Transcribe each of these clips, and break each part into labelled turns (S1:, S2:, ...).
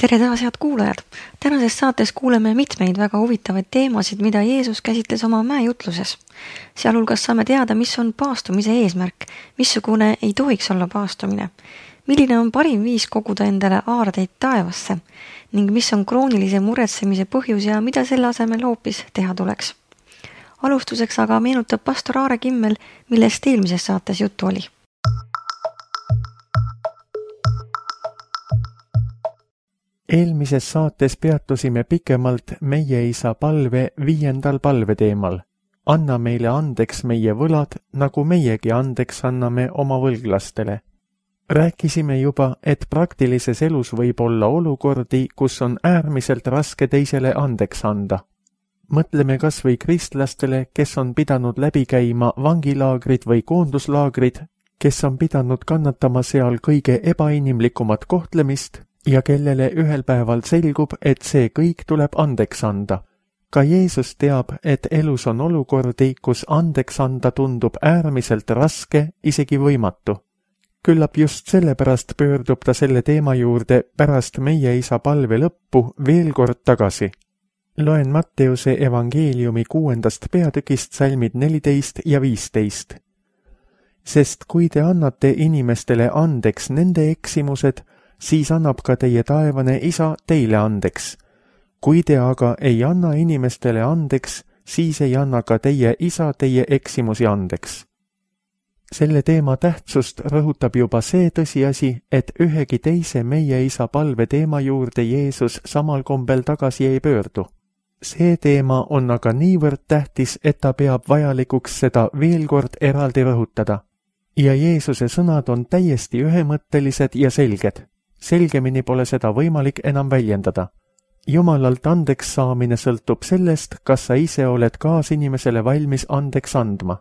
S1: Tere taas, head kuulajad! Tänases saates kuuleme mitmeid väga huvitavaid teemasid, mida Jeesus käsitles oma mäejutluses. Sealhulgas saame teada, mis on paastumise eesmärk, missugune ei tohiks olla paastumine, milline on parim viis koguda endale aardeid taevasse ning mis on kroonilise muretsemise põhjus ja mida selle asemel hoopis teha tuleks. Alustuseks aga meenutab pastor Aare Kimmel, millest eelmises saates juttu oli.
S2: Eelmises saates peatusime pikemalt meie isa palve 5. palveteemal. Anna meile andeks meie võlad, nagu meiegi andeks anname oma võlglastele. Rääkisime juba, et praktilises elus võib olla olukordi, kus on äärmiselt raske teisele andeks anda. Mõtleme kas või kristlastele, kes on pidanud läbi käima vangilaagrid või koonduslaagrid, kes on pidanud kannatama seal kõige ebainimlikumat kohtlemist, ja kellele ühel päeval selgub, et see kõik tuleb andeks anda. Ka Jeesus teab, et elus on olukordi, kus andeks anda tundub äärmiselt raske, isegi võimatu. Küllap just sellepärast pöördub ta selle teema juurde pärast meie isa palve lõppu veel kord tagasi. Loen Matteuse evangeeliumi 6. peatükist salmid 14 ja 15. Sest kui te annate inimestele andeks nende eksimused, siis annab ka teie taevane isa teile andeks. Kui te aga ei anna inimestele andeks, siis ei anna ka teie isa teie eksimusi andeks. Selle teema tähtsust rõhutab juba see tõsiasi, et ühegi teise meie isa palve teema juurde Jeesus samal kombel tagasi ei pöördu. See teema on aga niivõrd tähtis, et ta peab vajalikuks seda veel kord eraldi rõhutada. Ja Jeesuse sõnad on täiesti ühemõttelised ja selged. Selgemini pole seda võimalik enam väljendada. Jumalalt andeks saamine sõltub sellest, kas sa ise oled kaasinimesele valmis andeks andma.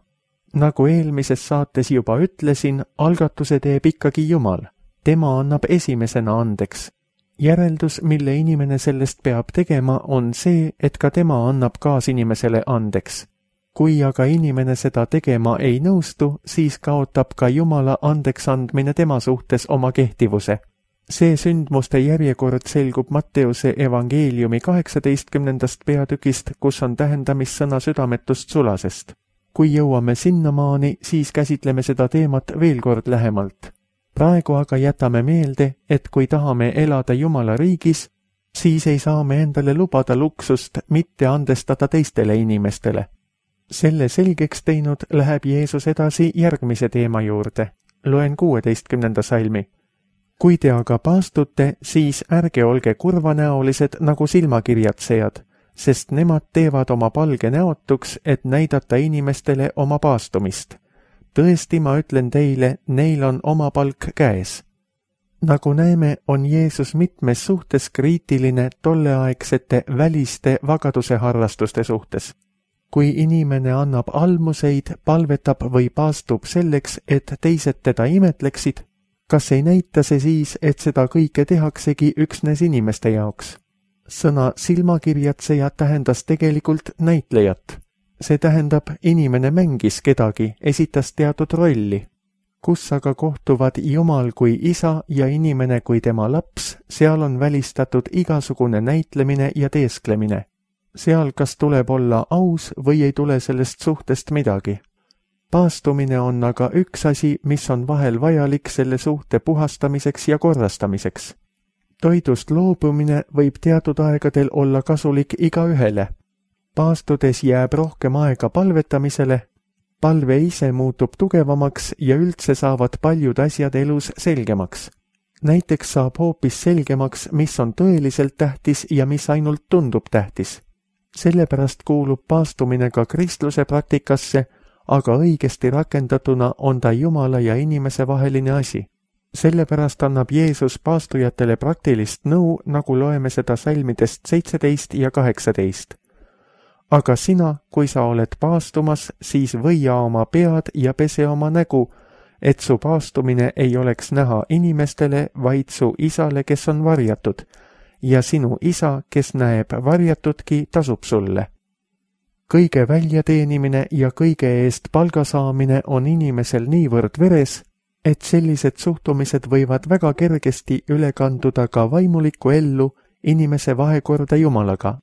S2: Nagu eelmises saates juba ütlesin, algatuse teeb ikkagi Jumal. Tema annab esimesena andeks. Järeldus, mille inimene sellest peab tegema, on see, et ka tema annab kaasinimesele andeks. Kui aga inimene seda tegema ei nõustu, siis kaotab ka Jumala andeks andmine tema suhtes oma kehtivuse. See sündmuste järjekord selgub Matteuse evangeeliumi 18. peatükist, kus on tähendamissõna südametust sulasest. Kui jõuame sinnamaani, siis käsitleme seda teemat veel kord lähemalt. Praegu aga jätame meelde, et kui tahame elada Jumala riigis, siis ei saa me endale lubada luksust mitte andestada teistele inimestele. Selle selgeks teinud läheb Jeesus edasi järgmise teema juurde. Loen 16. salmi. Kui te aga paastute, siis ärge olge kurvanäolised nagu silmakirjatsejad, sest nemad teevad oma palge näotuks, et näidata inimestele oma paastumist. Tõesti, ma ütlen teile, neil on oma palk käes. Nagu näeme, on Jeesus mitmes suhtes kriitiline tolleaegsete väliste vagaduse harrastuste suhtes. Kui inimene annab almuseid, palvetab või paastub selleks, et teised teda imetleksid, kas ei näita see siis, et seda kõike tehaksegi üksnes inimeste jaoks? Sõna silmakirjatseja tähendas tegelikult näitlejat. See tähendab, inimene mängis kedagi, esitas teatud rolli. Kus aga kohtuvad Jumal kui isa ja inimene kui tema laps, seal on välistatud igasugune näitlemine ja teesklemine. Seal kas tuleb olla aus või ei tule sellest suhtest midagi. Paastumine on aga üks asi, mis on vahel vajalik selle suhte puhastamiseks ja korrastamiseks. Toidust loobumine võib teatud aegadel olla kasulik igaühele. Paastudes jääb rohkem aega palvetamisele, palve ise muutub tugevamaks ja üldse saavad paljud asjad elus selgemaks. Näiteks saab hoopis selgemaks, mis on tõeliselt tähtis ja mis ainult tundub tähtis. Sellepärast kuulub paastumine ka kristluse praktikasse, aga õigesti rakendatuna on ta Jumala ja inimese vaheline asi. Sellepärast annab Jeesus paastujatele praktilist nõu, nagu loeme seda salmidest 17 ja 18. Aga sina, kui sa oled paastumas, siis võia oma pead ja pese oma nägu, et su paastumine ei oleks näha inimestele, vaid su isale, kes on varjatud, ja sinu isa, kes näeb varjatudki, tasub sulle. Kõige väljateenimine ja kõige eest palga saamine on inimesel niivõrd veres, et sellised suhtumised võivad väga kergesti üle kanduda ka vaimulikku ellu inimese vahekorda Jumalaga.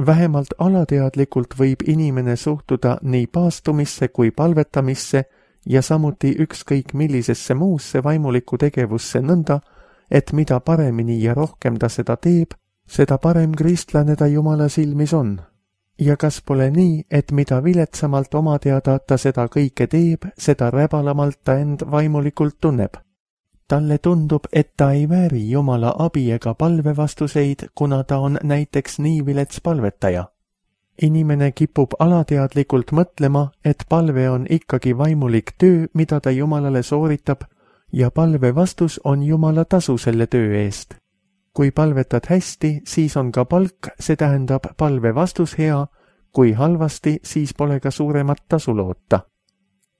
S2: Vähemalt alateadlikult võib inimene suhtuda nii paastumisse kui palvetamisse ja samuti ükskõik millisesse muusse vaimulikku tegevusse nõnda, et mida paremini ja rohkem ta seda teeb, seda parem kristlane ta Jumala silmis on. Ja kas pole nii, et mida viletsamalt oma teada ta seda kõike teeb, seda räbalamalt ta end vaimulikult tunneb? Talle tundub, et ta ei vääri Jumala abi ega palvevastuseid, kuna ta on näiteks nii vilets palvetaja. Inimene kipub alateadlikult mõtlema, et palve on ikkagi vaimulik töö, mida ta Jumalale sooritab, ja palve vastus on Jumala tasu selle töö eest. Kui palvetad hästi, siis on ka palk, see tähendab palve vastus hea, kui halvasti, siis pole ka suuremat tasu loota.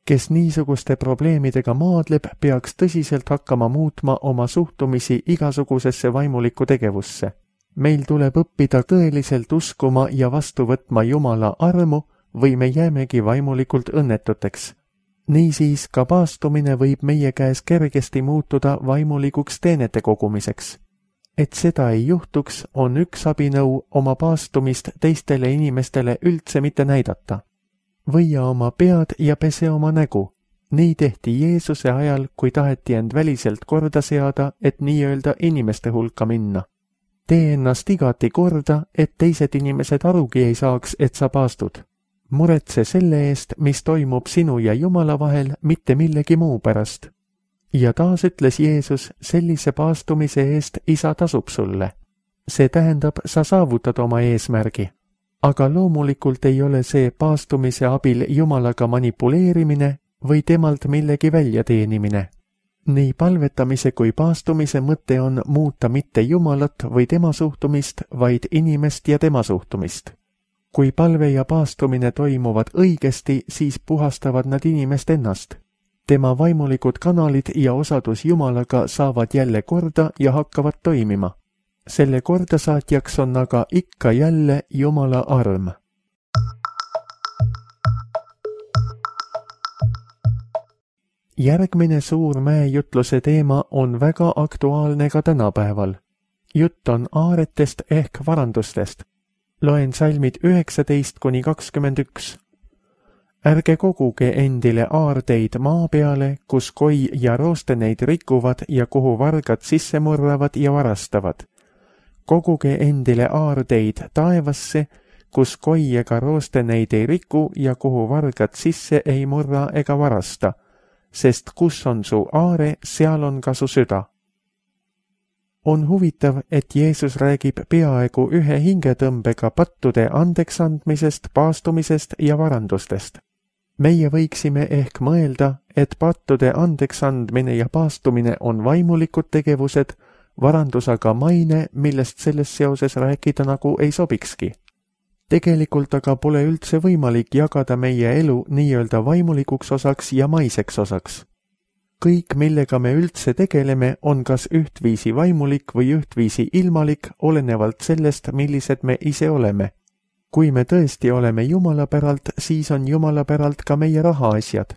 S2: Kes niisuguste probleemidega maadleb, peaks tõsiselt hakkama muutma oma suhtumisi igasugusesse vaimulikku tegevusse. Meil tuleb õppida tõeliselt uskuma ja vastu võtma Jumala armu või me jäämegi vaimulikult õnnetuteks. Niisiis ka paastumine võib meie käes kergesti muutuda vaimulikuks teenete kogumiseks. Et seda ei juhtuks, on üks abinõu oma paastumist teistele inimestele üldse mitte näidata. Võia oma pead ja pese oma nägu. Nii tehti Jeesuse ajal, kui taheti end väliselt korda seada, et nii-öelda inimeste hulka minna. Tee ennast igati korda, et teised inimesed arugi ei saaks, et sa paastud. Muretse selle eest, mis toimub sinu ja Jumala vahel, mitte millegi muu pärast. Ja taas ütles Jeesus, sellise paastumise eest Isa tasub sulle. See tähendab, sa saavutad oma eesmärgi. Aga loomulikult ei ole see paastumise abil Jumalaga manipuleerimine või temalt millegi väljateenimine. Nii palvetamise kui paastumise mõte on muuta mitte Jumalat või tema suhtumist, vaid inimest ja tema suhtumist. Kui palve ja paastumine toimuvad õigesti, siis puhastavad nad inimest ennast. Tema vaimulikud kanalid ja osadus Jumalaga saavad jälle korda ja hakkavad toimima. Selle kordasaatjaks on aga ikka jälle Jumala arm. Järgmine suur mäejutluse teema on väga aktuaalne ka tänapäeval. Jutt on aaretest ehk varandustest. Loen salmid 19-21. Ärge koguge endile aardeid maa peale, kus koi ja rooste neid rikuvad ja kuhu vargad sisse murravad ja varastavad. Koguge endile aardeid taevasse, kus koi ega rooste neid ei riku ja kuhu vargad sisse ei murra ega varasta, sest kus on su aare, seal on ka su süda. On huvitav, et Jeesus räägib peaaegu ühe hingetõmbega pattude andeksandmisest, paastumisest ja varandustest. Meie võiksime ehk mõelda, et pattude andeksandmine ja paastumine on vaimulikud tegevused, varandus aga maine, millest selles seoses rääkida nagu ei sobikski. Tegelikult aga pole üldse võimalik jagada meie elu nii-öelda vaimulikuks osaks ja maiseks osaks. Kõik, millega me üldse tegeleme, on kas ühtviisi vaimulik või ühtviisi ilmalik, olenevalt sellest, millised me ise oleme. Kui me tõesti oleme Jumala päralt, siis on Jumala päralt ka meie rahaasjad.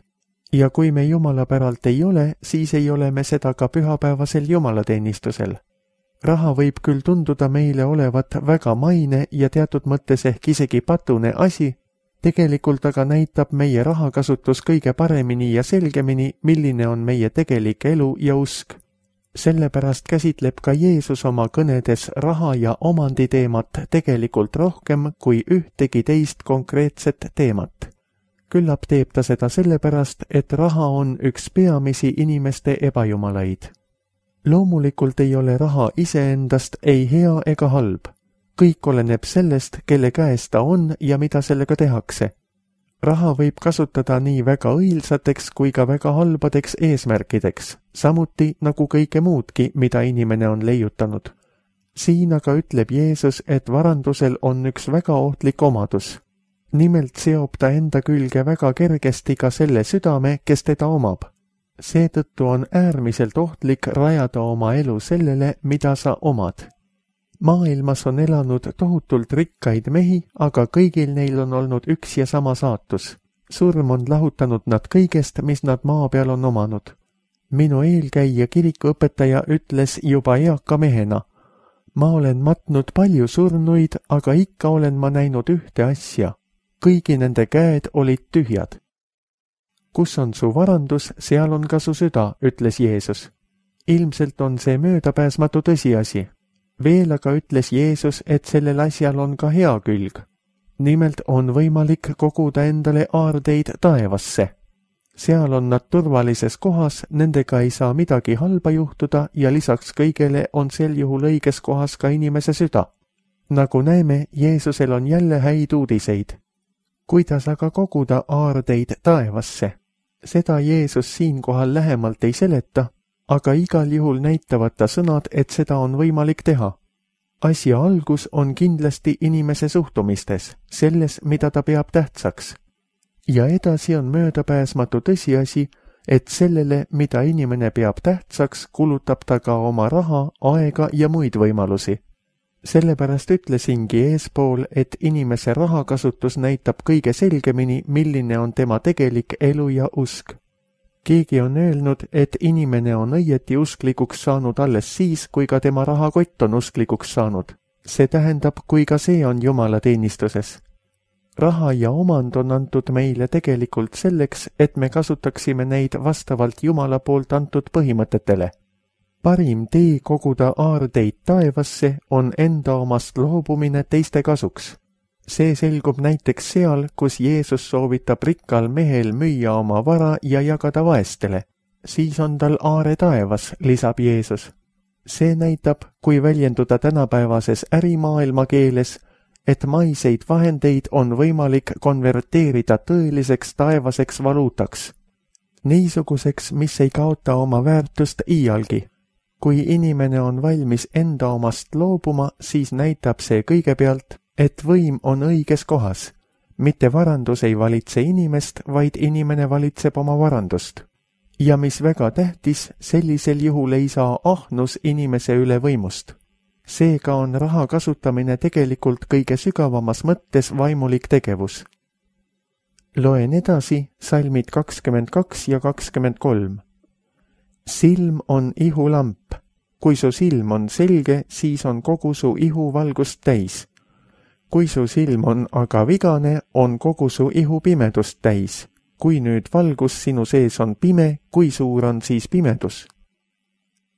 S2: Ja kui me Jumala päralt ei ole, siis ei ole me seda ka pühapäevasel jumalateenistusel. Raha võib küll tunduda meile olevat väga maine ja teatud mõttes ehk isegi patune asi, tegelikult aga näitab meie rahakasutus kõige paremini ja selgemini, milline on meie tegelik elu ja usk. Sellepärast käsitleb ka Jeesus oma kõnedes raha ja omandi teemat tegelikult rohkem kui ühtegi teist konkreetset teemat. Küllap teeb ta seda sellepärast, et raha on üks peamisi inimeste ebajumalaid. Loomulikult ei ole raha iseendast ei hea ega halb. Kõik oleneb sellest, kelle käes ta on ja mida sellega tehakse. Raha võib kasutada nii väga õilsateks kui ka väga halbadeks eesmärkideks, samuti nagu kõike muudki, mida inimene on leiutanud. Siin aga ütleb Jeesus, et varandusel on üks väga ohtlik omadus. Nimelt seob ta enda külge väga kergesti ka selle südame, kes teda omab. Seetõttu on äärmiselt ohtlik rajada oma elu sellele, mida sa omad. Maailmas on elanud tohutult rikkaid mehi, aga kõigil neil on olnud üks ja sama saatus. Surm on lahutanud nad kõigest, mis nad maa peal on omanud. Minu eelkäija kirikuõpetaja ütles juba eaka mehena: ma olen matnud palju surnuid, aga ikka olen ma näinud ühte asja. Kõigi nende käed olid tühjad. Kus on su varandus, seal on ka su süda, ütles Jeesus. Ilmselt on see möödapääsmatu tõsiasi. Veel aga ütles Jeesus, et sellel asjal on ka hea külg. Nimelt on võimalik koguda endale aardeid taevasse. Seal on nad turvalises kohas, nendega ei saa midagi halba juhtuda ja lisaks kõigele on sel juhul õiges kohas ka inimese süda. Nagu näeme, Jeesusel on jälle häid uudiseid. Kuidas aga koguda aardeid taevasse? Seda Jeesus siinkohal lähemalt ei seleta, aga igal juhul näitavad ta sõnad, et seda on võimalik teha. Asja algus on kindlasti inimese suhtumistes, selles, mida ta peab tähtsaks. Ja edasi on möödapääsmatu tõsiasi, et sellele, mida inimene peab tähtsaks, kulutab ta ka oma raha, aega ja muid võimalusi. Sellepärast ütlesingi eespool, et inimese rahakasutus näitab kõige selgemini, milline on tema tegelik elu ja usk. Keegi on öelnud, et inimene on õieti usklikuks saanud alles siis, kui ka tema rahakott on usklikuks saanud. See tähendab, kui ka see on Jumala teenistuses. Raha ja omand on antud meile tegelikult selleks, et me kasutaksime neid vastavalt Jumala poolt antud põhimõtetele. Parim tee koguda aardeid taevasse on enda omast loobumine teiste kasuks. See selgub näiteks seal, kus Jeesus soovitab rikkal mehel müüa oma vara ja jagada vaestele. Siis on tal aare taevas, lisab Jeesus. See näitab, kui väljenduda tänapäevases ärimaailma keeles, et maiseid vahendeid on võimalik konverteerida tõeliseks taevaseks valuutaks. Niisuguseks, mis ei kaota oma väärtust iialgi. Kui inimene on valmis enda omast loobuma, siis näitab see kõigepealt, et võim on õiges kohas. Mitte varandus ei valitse inimest, vaid inimene valitseb oma varandust. Ja mis väga tähtis, sellisel juhul ei saa ahnus inimese üle võimust. Seega on raha kasutamine tegelikult kõige sügavamas mõttes vaimulik tegevus. Loen edasi salmid 22 ja 23. Silm on ihulamp. Kui su silm on selge, siis on kogu su ihu valgust täis. Kui su silm on aga vigane, on kogu su ihu pimedust täis. Kui nüüd valgus sinu sees on pime, kui suur on siis pimedus?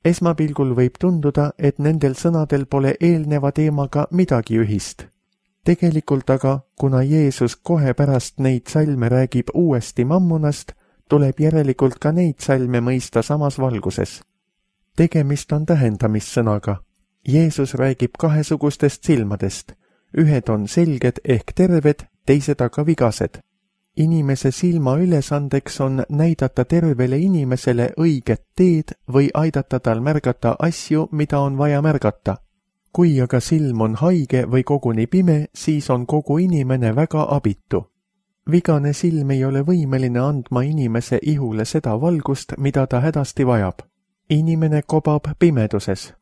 S2: Esmapilgul võib tunduda, et nendel sõnadel pole eelneva teemaga midagi ühist. Tegelikult aga, kuna Jeesus kohe pärast neid salme räägib uuesti mammonast, tuleb järelikult ka neid salme mõista samas valguses. Tegemist on tähendamissõnaga. Jeesus räägib kahesugustest silmadest. Ühed on selged ehk terved, teised aga vigased. Inimese silma ülesandeks on näidata tervele inimesele õiget teed või aidata tal märgata asju, mida on vaja märgata. Kui aga silm on haige või koguni pime, siis on kogu inimene väga abitu. Vigane silm ei ole võimeline andma inimese ihule seda valgust, mida ta hädasti vajab. Inimene kobab pimeduses.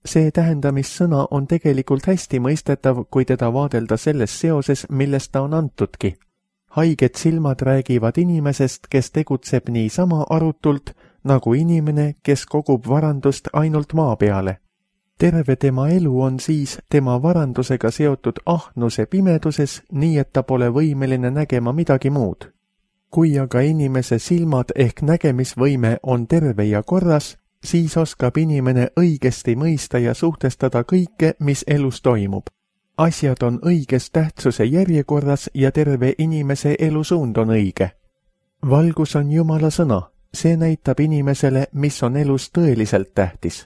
S2: See tähendamissõna on tegelikult hästi mõistetav, kui teda vaadelda selles seoses, millest ta on antudki. Haiged silmad räägivad inimesest, kes tegutseb niisama arutult, nagu inimene, kes kogub varandust ainult maa peale. Terve tema elu on siis tema varandusega seotud ahnuse pimeduses, nii et ta pole võimeline nägema midagi muud. Kui aga inimese silmad ehk nägemisvõime on terve ja korras, siis oskab inimene õigesti mõista ja suhtestada kõike, mis elus toimub. Asjad on õiges tähtsuse järjekorras ja terve inimese elusuund on õige. Valgus on Jumala sõna, see näitab inimesele, mis on elus tõeliselt tähtis.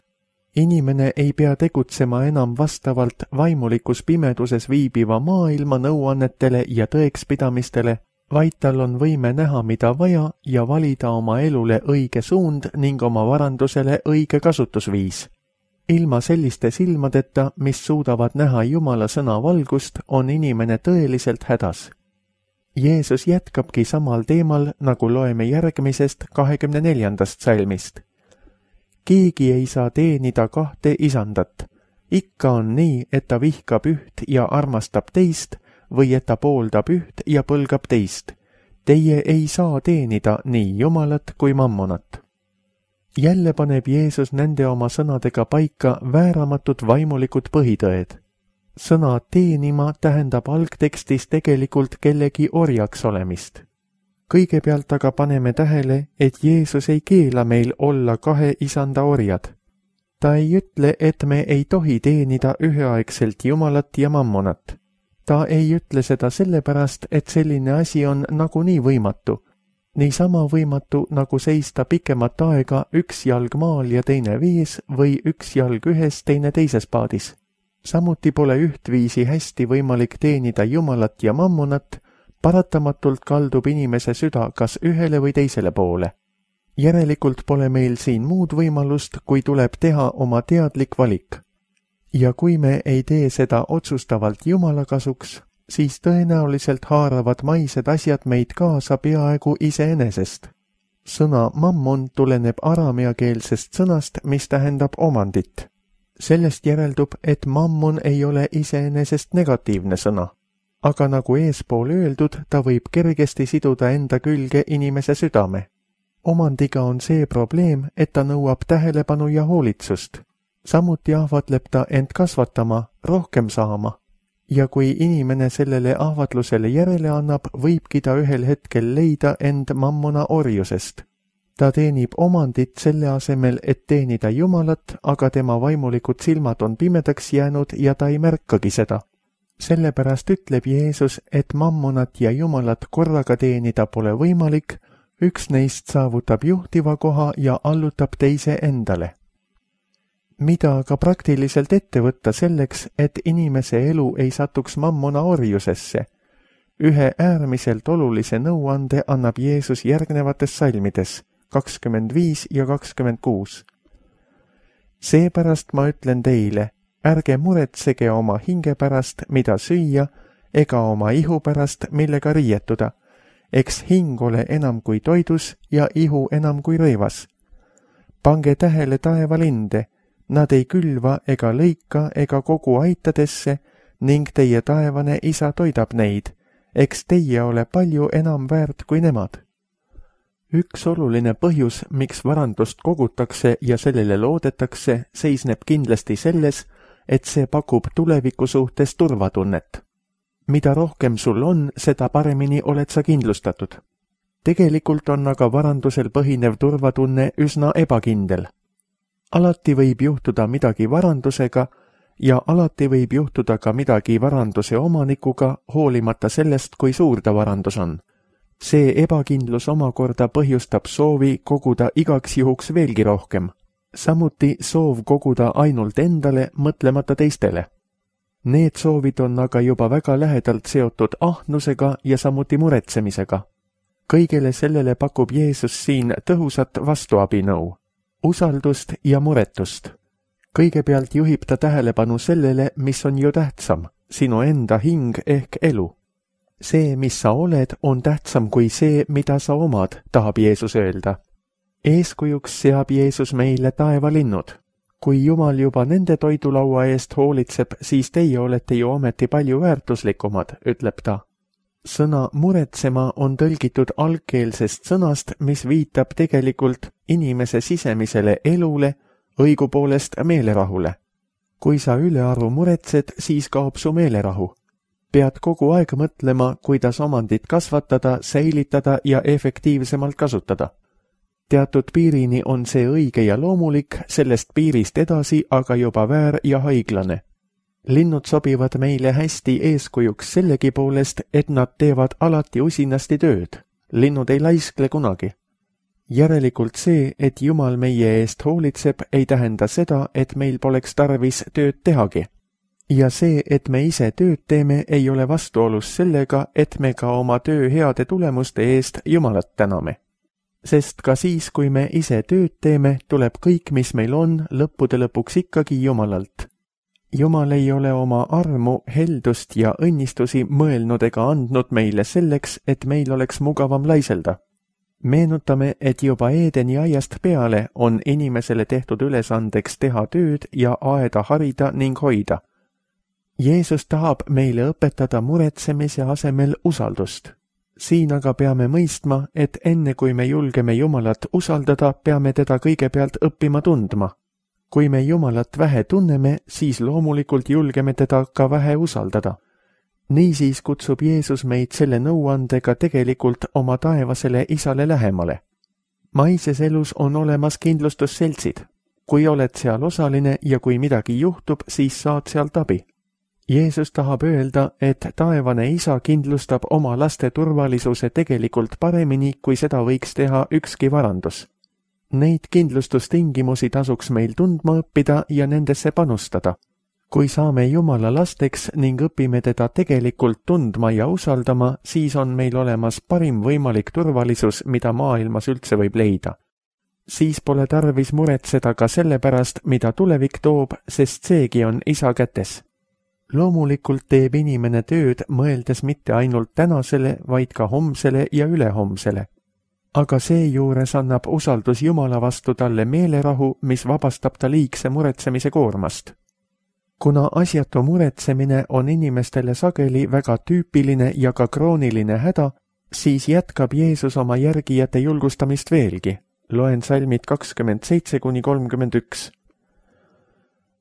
S2: Inimene ei pea tegutsema enam vastavalt vaimulikus pimeduses viibiva maailma nõuannetele ja tõekspidamistele, vaid tal on võime näha, mida vaja ja valida oma elule õige suund ning oma varandusele õige kasutusviis. Ilma selliste silmadeta, mis suudavad näha Jumala sõna valgust, on inimene tõeliselt hädas. Jeesus jätkabki samal teemal, nagu loeme järgmisest 24. salmist. Keegi ei saa teenida kahte isandat. Ikka on nii, et ta vihkab üht ja armastab teist, või et ta pooldab üht ja põlgab teist. Teie ei saa teenida nii Jumalat kui mammonat. Jälle paneb Jeesus nende oma sõnadega paika vääramatud vaimulikud põhitõed. Sõna teenima tähendab algtekstis tegelikult kellegi orjaks olemist. Kõigepealt aga paneme tähele, et Jeesus ei keela meil olla kahe isanda orjad. Ta ei ütle, et me ei tohi teenida üheaegselt Jumalat ja mammonat. Ta ei ütle seda sellepärast, et selline asi on nagunii võimatu. Niisama võimatu, nagu seista pikemat aega üks jalg maal ja teine vees või üks jalg ühes, teine teises paadis. Samuti pole ühtviisi hästi võimalik teenida Jumalat ja mammonat, paratamatult kaldub inimese süda kas ühele või teisele poole. Järelikult pole meil siin muud võimalust, kui tuleb teha oma teadlik valik. Ja kui me ei tee seda otsustavalt Jumala kasuks, siis tõenäoliselt haaravad maised asjad meid kaasa peaaegu iseenesest. Sõna mammon tuleneb arameakeelsest sõnast, mis tähendab omandit. Sellest järeldub, et mammon ei ole iseenesest negatiivne sõna. Aga nagu eespool öeldud, ta võib kergesti siduda enda külge inimese südame. Omandiga on see probleem, et ta nõuab tähelepanu ja hoolitsust. Samuti ahvatleb ta end kasvatama, rohkem saama. Ja kui inimene sellele ahvatlusele järele annab, võibki ta ühel hetkel leida end mammona orjusest. Ta teenib omandit selle asemel, et teenida Jumalat, aga tema vaimulikud silmad on pimedaks jäänud ja ta ei märkagi seda. Sellepärast ütleb Jeesus, et mammonat ja Jumalat korraga teenida pole võimalik, üks neist saavutab juhtiva koha ja allutab teise endale. Mida aga praktiliselt ette võtta selleks, et inimese elu ei satuks mammona orjusesse? Ühe äärmiselt olulise nõuande annab Jeesus järgnevates salmides 25 ja 26. Seepärast ma ütlen teile, ärge muretsege oma hinge pärast, mida süüa, ega oma ihu pärast, millega riietuda. Eks hing ole enam kui toidus ja ihu enam kui rõivas. Pange tähele taevalinde, nad ei külva ega lõika ega kogu aitadesse ning teie taevane isa toidab neid, eks teie ole palju enam väärt kui nemad. Üks oluline põhjus, miks varandust kogutakse ja sellele loodetakse, seisneb kindlasti selles, et see pakub tuleviku suhtes turvatunnet. Mida rohkem sul on, seda paremini oled sa kindlustatud. Tegelikult on aga varandusel põhinev turvatunne üsna ebakindel. Alati võib juhtuda midagi varandusega ja alati võib juhtuda ka midagi varanduse omanikuga, hoolimata sellest, kui suur ta varandus on. See ebakindlus omakorda põhjustab soovi koguda igaks juhuks veelgi rohkem. Samuti soov koguda ainult endale, mõtlemata teistele. Need soovid on aga juba väga lähedalt seotud ahnusega ja samuti muretsemisega. Kõigele sellele pakub Jeesus siin tõhusat vastuabinõu, usaldust ja muretust. Kõigepealt juhib ta tähelepanu sellele, mis on ju tähtsam, sinu enda hing ehk elu. See, mis sa oled, on tähtsam kui see, mida sa omad, tahab Jeesus öelda. Eeskujuks seab Jeesus meile taevalinnud. Kui Jumal juba nende toidulaua eest hoolitseb, siis teie olete ju ometi palju väärtuslikumad, ütleb ta. Sõna muretsema on tõlgitud algkeelsest sõnast, mis viitab tegelikult inimese sisemisele elule, õigupoolest meelerahule. Kui sa ülearu muretsed, siis kaob su meelerahu. Pead kogu aeg mõtlema, kuidas omandit kasvatada, säilitada ja efektiivsemalt kasutada. Teatud piirini on see õige ja loomulik, sellest piirist edasi aga juba väär ja haiglane. Linnud sobivad meile hästi eeskujuks sellegi poolest, et nad teevad alati usinasti tööd. Linnud ei laiskle kunagi. Järelikult see, et Jumal meie eest hoolitseb, ei tähenda seda, et meil poleks tarvis tööd tehagi. Ja see, et me ise tööd teeme, ei ole vastuolus sellega, et me ka oma töö heade tulemuste eest Jumalat täname. Sest ka siis, kui me ise tööd teeme, tuleb kõik, mis meil on, lõppude lõpuks ikkagi Jumalalt. Jumal ei ole oma armu, heldust ja õnnistusi mõelnud ega andnud meile selleks, et meil oleks mugavam laiselda. Meenutame, et juba Eedeni aiast peale on inimesele tehtud ülesandeks teha tööd ja aeda harida ning hoida. Jeesus tahab meile õpetada muretsemise asemel usaldust. Siin aga peame mõistma, et enne kui me julgeme Jumalat usaldada, peame teda kõigepealt õppima tundma. Kui me Jumalat vähe tunneme, siis loomulikult julgeme teda ka vähe usaldada. Niisiis kutsub Jeesus meid selle nõuandega tegelikult oma taevasele Isale lähemale. Maises elus on olemas kindlustusseltsid. Kui oled seal osaline ja kui midagi juhtub, siis saad sealt abi. Jeesus tahab öelda, et taevane Isa kindlustab oma laste turvalisuse tegelikult paremini, kui seda võiks teha ükski varandus. Neid kindlustustingimusi tasuks meil tundma õppida ja nendesse panustada. Kui saame Jumala lasteks ning õpime teda tegelikult tundma ja usaldama, siis on meil olemas parim võimalik turvalisus, mida maailmas üldse võib leida. Siis pole tarvis muretseda ka selle pärast, mida tulevik toob, sest seegi on Isa kätes. Loomulikult teeb inimene tööd, mõeldes mitte ainult tänasele, vaid ka homsele ja ülehomsele. Aga seejuures annab usaldus Jumala vastu talle meelerahu, mis vabastab ta liigse muretsemise koormast. Kuna asjatu muretsemine on inimestele sageli väga tüüpiline ja ka krooniline häda, siis jätkab Jeesus oma järgijate julgustamist veelgi. Loen salmid 27–31.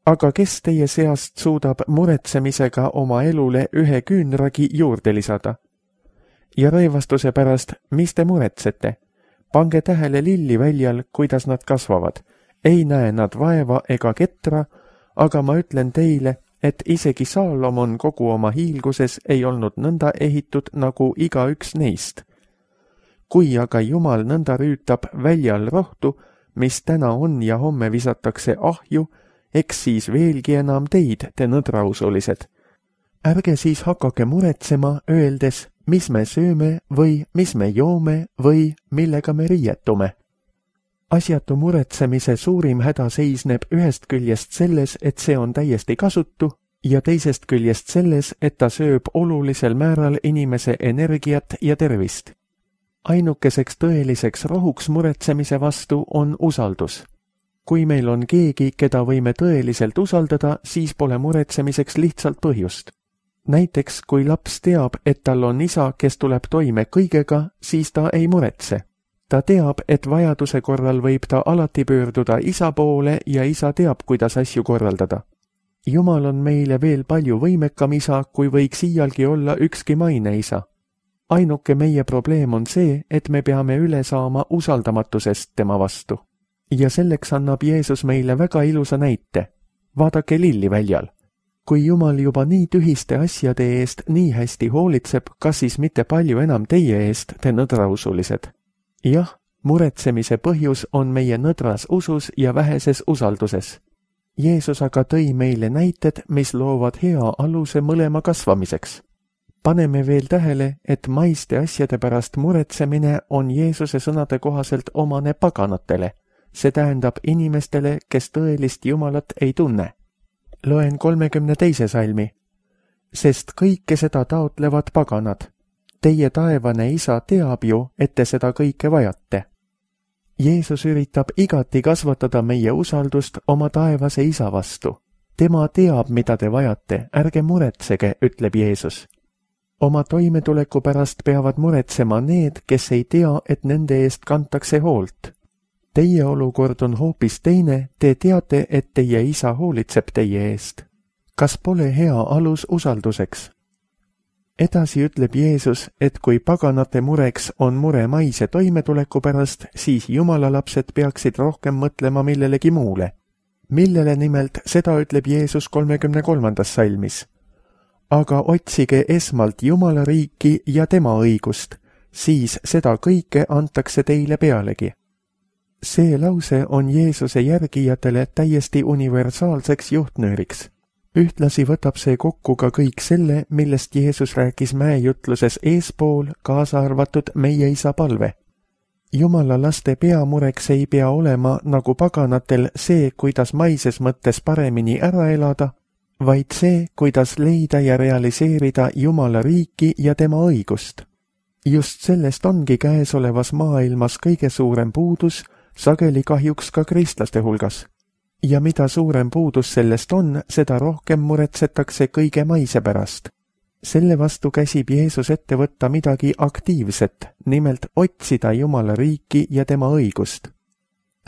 S2: Aga kes teie seast suudab muretsemisega oma elule ühe küünragi juurde lisada? Ja rõivastuse pärast, mis te muretsete? Pange tähele lilliväljal, kuidas nad kasvavad. Ei näe nad vaeva ega ketra, aga ma ütlen teile, et isegi Saalomon kogu oma hiilguses ei olnud nõnda ehitud nagu igaüks neist. Kui aga Jumal nõnda rüütab väljal rohtu, mis täna on ja homme visatakse ahju, eks siis veelgi enam teid, te nõdrausulised. Ärge siis hakake muretsema, öeldes, mis me sööme või mis me joome või millega me riietume. Asjatu muretsemise suurim häda seisneb ühest küljest selles, et see on täiesti kasutu, ja teisest küljest selles, et ta sööb olulisel määral inimese energiat ja tervist. Ainukeseks tõeliseks rohuks muretsemise vastu on usaldus. Kui meil on keegi, keda võime tõeliselt usaldada, siis pole muretsemiseks lihtsalt põhjust. Näiteks, kui laps teab, et tal on isa, kes tuleb toime kõigega, siis ta ei muretse. Ta teab, et vajaduse korral võib ta alati pöörduda isa poole ja isa teab, kuidas asju korraldada. Jumal on meile veel palju võimekam isa, kui võiks iialgi olla ükski maine isa. Ainuke meie probleem on see, et me peame üle saama usaldamatusest tema vastu. Ja selleks annab Jeesus meile väga ilusa näite. Vaadake lilliväljal. Kui Jumal juba nii tühiste asjade eest nii hästi hoolitseb, kas siis mitte palju enam teie eest, te nõdrausulised? Jah, muretsemise põhjus on meie nõdras usus ja väheses usalduses. Jeesus aga tõi meile näited, mis loovad hea aluse mõlema kasvamiseks. Paneme veel tähele, et maiste asjade pärast muretsemine on Jeesuse sõnade kohaselt omane paganatele. See tähendab inimestele, kes tõelist Jumalat ei tunne. Loen 32. salmi. Sest kõike seda taotlevad paganad. Teie taevane isa teab ju, et te seda kõike vajate. Jeesus üritab igati kasvatada meie usaldust oma taevase isa vastu. Tema teab, mida te vajate, ärge muretsege, ütleb Jeesus. Oma toimetuleku pärast peavad muretsema need, kes ei tea, et nende eest kantakse hoolt. Teie olukord on hoopis teine, te teate, et teie isa hoolitseb teie eest. Kas pole hea alus usalduseks? Edasi ütleb Jeesus, et kui paganate mureks on mure maise toimetuleku pärast, siis Jumala lapsed peaksid rohkem mõtlema millelegi muule. Millele nimelt, seda ütleb Jeesus 33. salmis. Aga otsige esmalt Jumala riiki ja tema õigust, siis seda kõike antakse teile pealegi. See lause on Jeesuse järgijatele täiesti universaalseks juhtnööriks. Ühtlasi võtab see kokku ka kõik selle, millest Jeesus rääkis mäejutluses eespool, kaasa arvatud meie isa palve. Jumala laste peamureks ei pea olema nagu paganatel see, kuidas maises mõttes paremini ära elada, vaid see, kuidas leida ja realiseerida Jumala riiki ja tema õigust. Just sellest ongi käesolevas maailmas kõige suurem puudus, sageli kahjuks ka kristlaste hulgas. Ja mida suurem puudus sellest on, seda rohkem muretsetakse kõige maise pärast. Selle vastu käsib Jeesus ette võtta midagi aktiivset, nimelt otsida Jumala riiki ja tema õigust.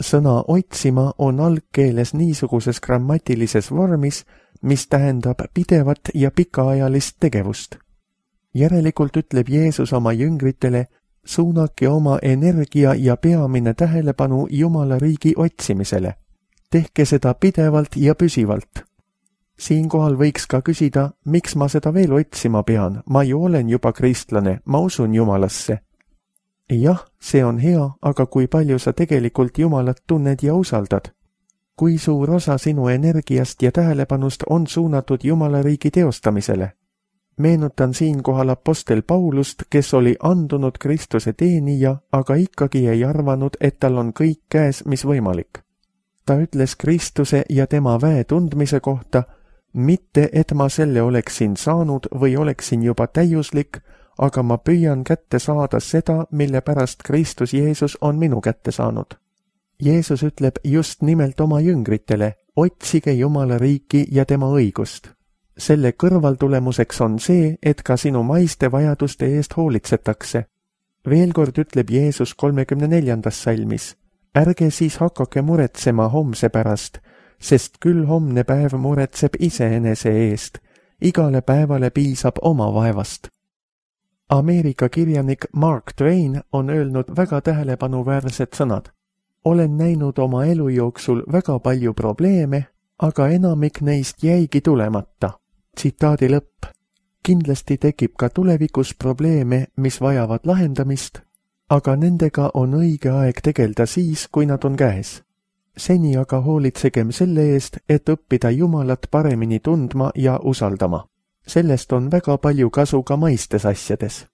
S2: Sõna otsima on algkeeles niisuguses grammatilises vormis, mis tähendab pidevat ja pikaajalist tegevust. Järelikult ütleb Jeesus oma jüngritele, suunake oma energia ja peamine tähelepanu Jumala riigi otsimisele. Tehke seda pidevalt ja püsivalt. Siinkohal võiks ka küsida, miks ma seda veel otsima pean, ma ju olen juba kristlane, ma usun Jumalasse. Jah, see on hea, aga kui palju sa tegelikult Jumalat tunned ja usaldad? Kui suur osa sinu energiast ja tähelepanust on suunatud Jumala riigi teostamisele? Meenutan siinkohal apostel Paulust, kes oli andunud Kristuse teenija, aga ikkagi ei arvanud, et tal on kõik käes, mis võimalik. Ta ütles Kristuse ja tema väe tundmise kohta, mitte et ma selle oleksin saanud või oleksin juba täiuslik, aga ma püüan kätte saada seda, mille pärast Kristus Jeesus on minu kätte saanud. Jeesus ütleb just nimelt oma jüngritele, otsige Jumala riiki ja tema õigust. Selle kõrvaltulemuseks on see, et ka sinu maiste vajaduste eest hoolitsetakse. Veel kord ütleb Jeesus 34. salmis, ärge siis hakake muretsema homse pärast, sest küll homne päev muretseb iseenese eest, igale päevale piisab oma vaevast. Ameerika kirjanik Mark Twain on öelnud väga tähelepanuväärsed sõnad. Olen näinud oma elu jooksul väga palju probleeme, aga enamik neist jäigi tulemata. Tsitaadi lõpp. Kindlasti tekib ka tulevikus probleeme, mis vajavad lahendamist, aga nendega on õige aeg tegelda siis, kui nad on käes. Seni aga hoolitsegem selle eest, et õppida Jumalat paremini tundma ja usaldama. Sellest on väga palju kasu ka maistes asjades.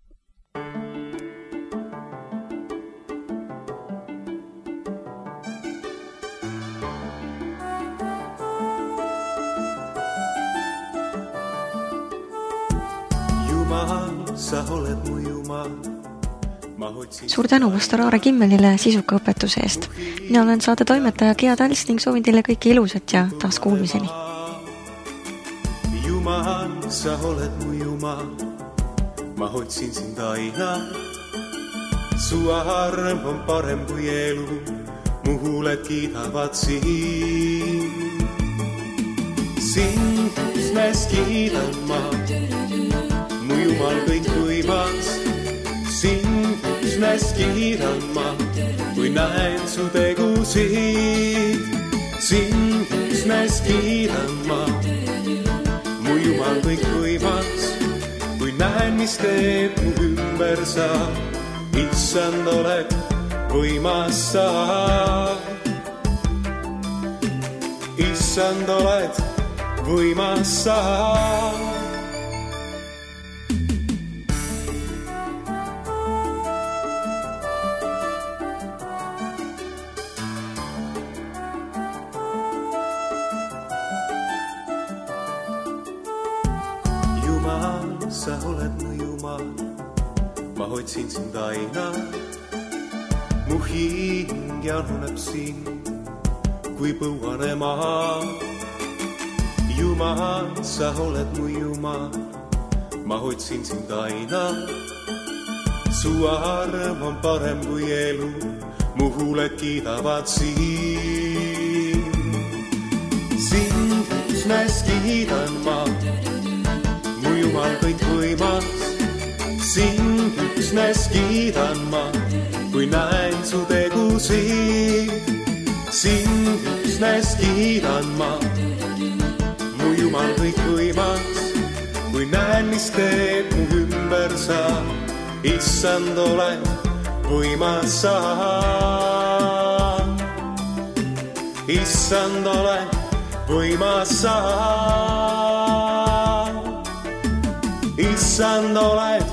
S1: Suur tänu pastor Aare Kimmelile sisuka õpetuse eest. Mina olen saate toimetaja Gea Tals ning soovin teile kõike ilusat ja taas kuulmiseni.
S3: Jumal, sa oled mu Jumal, ma otsin sind aina. Su arm on parem kui elu, mu huuled kiidavad sind. Sind üksnes kiidan ma, mu Jumal kõik võimas. Sind üksnes kiidan ma, kui näen su tegusid. Sind üksnes kiidan ma, mu Jumal kõik võimas, kui näen, mis teeb mu ümber sa, issand oled võimas sa. Issand oled võimas sa. Sa oled mu Jumal, ma otsin sind aina. Mu hing januneb sind, kui põuane maa. Jumal, sa oled mu Jumal, ma otsin sind aina. Su arm on parem kui elu, mu huuled kiidavad sind. Sind üksnes kiidan ma, mu Jumal kõik võimas. Sind üksnes kiidan ma, kui näen su tegusid. Sind üksnes kiidan ma, mu Jumal kõik võimas. Kui näen, mis teeb mu ümber sa, issand oled võimas sa. Issand oled võimas sa. Issand oled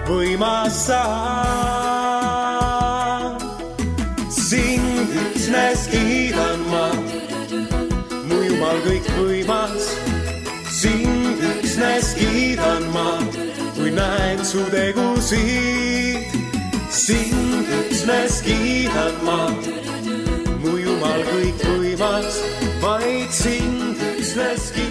S3: võimas sa. Sind üksnes kiidan ma, mu Jumal kõik võimas. Sind üksnes kiidan ma, kui näen su tegusid. Sind üksnes kiidan ma, mu Jumal kõik võimas. Vaid sind üksnes kiidan.